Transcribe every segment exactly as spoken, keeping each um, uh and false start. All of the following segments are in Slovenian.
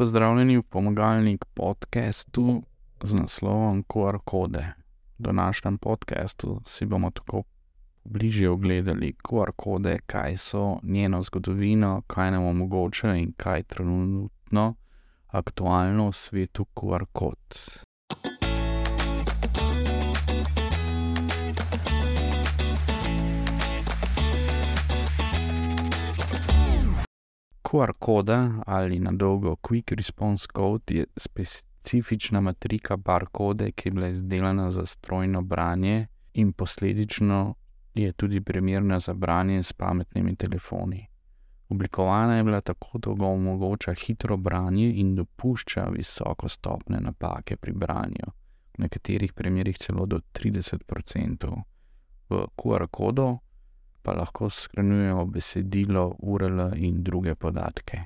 Pozdravljeni v Pomagalnik podcastu z naslovom Q R kode. V današnjem podcastu si bomo tako bližje ogledali Q R kode, kaj so, njeno zgodovino, kaj nam omogoča in kaj trenutno aktualno v svetu Q R kod. Q R koda ali na dolgo Quick Response Code je specifična matrika barkode, ki je bila izdelana za strojno branje in posledično je tudi primerna za branje s pametnimi telefoni. Oblikovana je bila tako, da ga omogoča hitro branje in dopušča visoko stopnjo napake pri branju, v nekaterih primerih celo do trideset procentov. V Q R kodu pa lahko shranjujemo besedilo, U R L in druge podatke.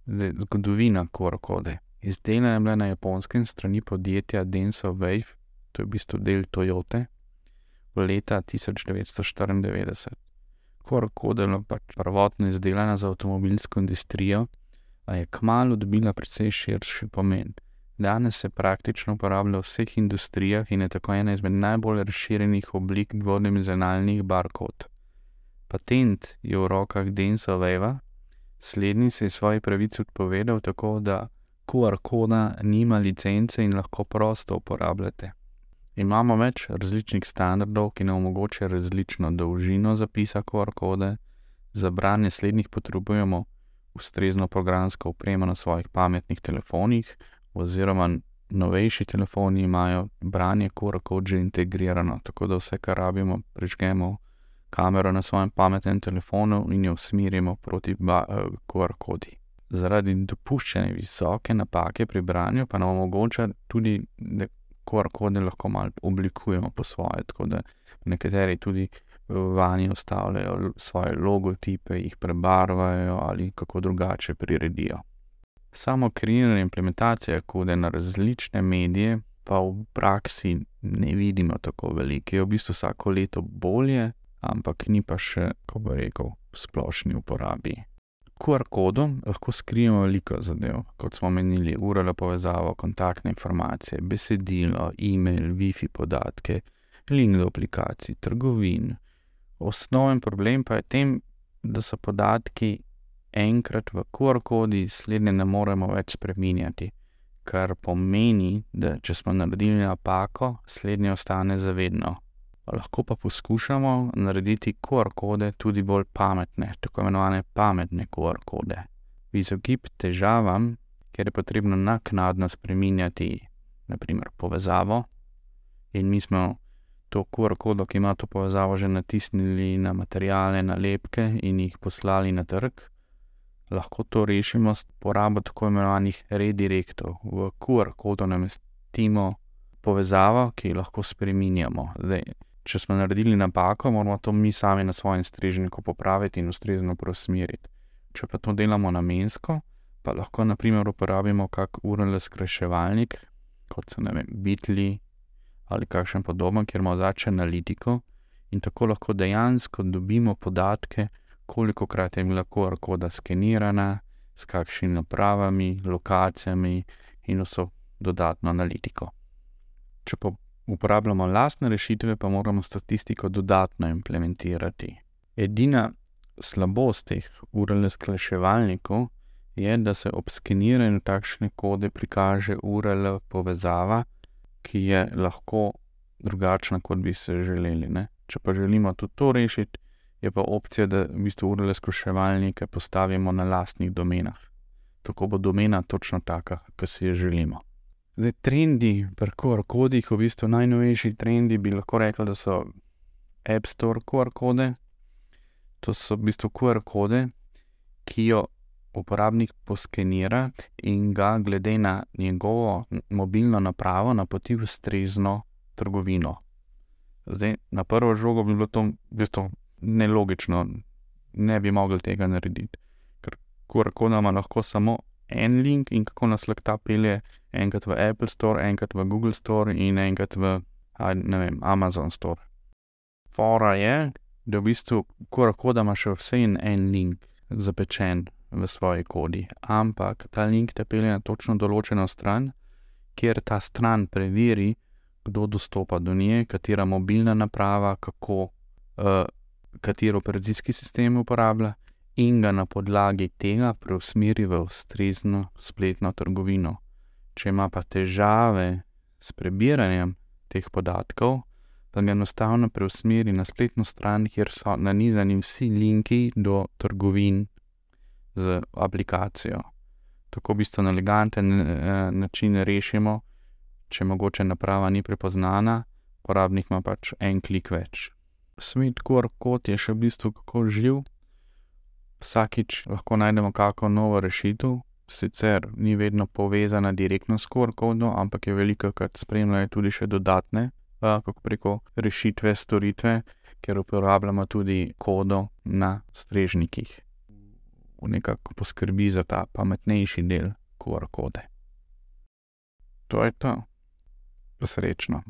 Zdaj, zgodovina Q R kode. Izdelana je bila na Japonskem strani podjetja Denso Wave, to je v bistvu del Toyote, v leta tisoč devetsto štiriindevetdeset. Q R koda je bila pač prvotno izdelana za avtomobilsko industrijo, a je kmalu dobila precej širši pomen. Danes se praktično uporablja v vseh industrijah in je tako ena izmed najbolj razširjenih oblik dvodimenzionalnih barkod. Patent je v rokah Denso Wavea, slednji se je svoji pravici odpovedal tako, da Q R koda nima licence in lahko prosto uporabljate. Imamo več različnih standardov, ki nam omogočajo različno dolžino zapisa Q R kode. Za branje slednjih potrebujemo ustrezno programsko opremo na svojih pametnih telefonih, oziroma novejši telefoni imajo branje Q R kod že integrirano, tako da vse, kar rabimo, prižgemo kamero na svojem pametnem telefonu in jo usmerimo proti ba- Q R kodi. Zaradi dopuščene visoke napake pri branju pa nam omogoča tudi, da Q R kode lahko malo oblikujemo po svoje, tako da nekateri tudi vanje vstavljajo svoje logotipe, jih prebarvajo ali kako drugače priredijo. Samo kreiranje implementacije kode na različne medije pa v praksi ne vidimo tako veliko. Je v bistvu vsako leto bolje, ampak ni pa še, ko bi rekel, v splošni uporabi. Q R kodu lahko skrijemo veliko zadev, kot smo menili, U R L povezavo, kontaktne informacije, besedilo, e-mail, Wi-Fi podatke, link do aplikacij, trgovin. Osnoven problem pa je tem, da so podatki enkrat v Q R kodi, slednje ne moremo več spreminjati, kar pomeni, da če smo naredili napako, slednje ostane za vedno. Lahko pa poskušamo narediti Q R kode tudi bolj pametne, tako imenovane pametne Q R kode. V izogib težavam, ker je potrebno naknadno spreminjati na primer povezavo in mi smo to Q R kodo, ki ima to povezavo, že natisnili na materiale, nalepke in jih poslali na trg, lahko to rešimo s porabo tako imenovanih redirektov. V Q R kodu namestimo povezavo, ki jo lahko spreminjamo. Zdaj, če smo naredili napako, moramo to mi sami na svojem strežniku popraviti in ustrezno preusmeriti. Če pa to delamo namensko, pa lahko na primer uporabimo kak U R L skrajševalnik, kot so, ne vem, Bitly ali kakšen podoben, kjer ima odzadaj analitiko in tako lahko dejansko dobimo podatke, kolikokrat je bila Q R koda skenirana, s kakšnimi napravami, lokacijami in vso dodatno analitiko. Če pa uporabljamo lastne rešitve, pa moramo statistiko dodatno implementirati. Edina slabost teh U R L skrajševalnikov je, da se ob skeniranju takšne kode prikaže U R L povezava, ki je lahko drugačna, kot bi se želeli, ne. Če pa želimo tudi to rešiti, je pa opcija, da v bistvu U R L skrajševalnike postavimo na lastnih domenah. Tako bo domena točno taka, kot si jo želimo. Zdaj, trendi pri Q R kodih, v bistvu najnovejši trendi bi lahko rekli, da so App Store Q R kode. To so v bistvu Q R kode, ki jo uporabnik poskenira in ga glede na njegovo mobilno napravo napoti v ustrezno trgovino. Zdaj, na prvo žogo bi bilo to v bistvu nelogično, ne bi mogli tega narediti, ker Q R koda ima lahko samo en link in kako nas lahko ta pelje enkrat v Apple Store, enkrat v Google Store in enkrat v, ne vem, Amazon Store. Fora je, da v bistvu Q R koda ima še vse en link zapečen v svoji kodi, ampak ta link te pelje na točno določeno stran, kjer ta stran preveri, kdo dostopa do nje, katera mobilna naprava, kako, uh, kateri operacijski sistem uporablja in ga na podlagi tega preusmeri v ustrezno spletno trgovino. Če ima pa težave s prebiranjem teh podatkov, pa ga enostavno preusmeri na spletno stran, kjer so nanizani vsi linki do trgovin z aplikacijo. Tako v bistvu na eleganten način rešimo, če mogoče naprava ni prepoznana, uporabnik ima pač en klik več. Svet Q R kod je še v bistvu kako živ. Vsakič lahko najdemo kako novo rešitev, sicer ni vedno povezana direktno s Q R kodom, ampak je velikokrat spremljajo tudi še dodatne, kako preko rešitve, storitve, ker uporabljamo tudi kodo na strežnikih. Nekako poskrbi za ta pametnejši del Q R kode. To je to. Srečno.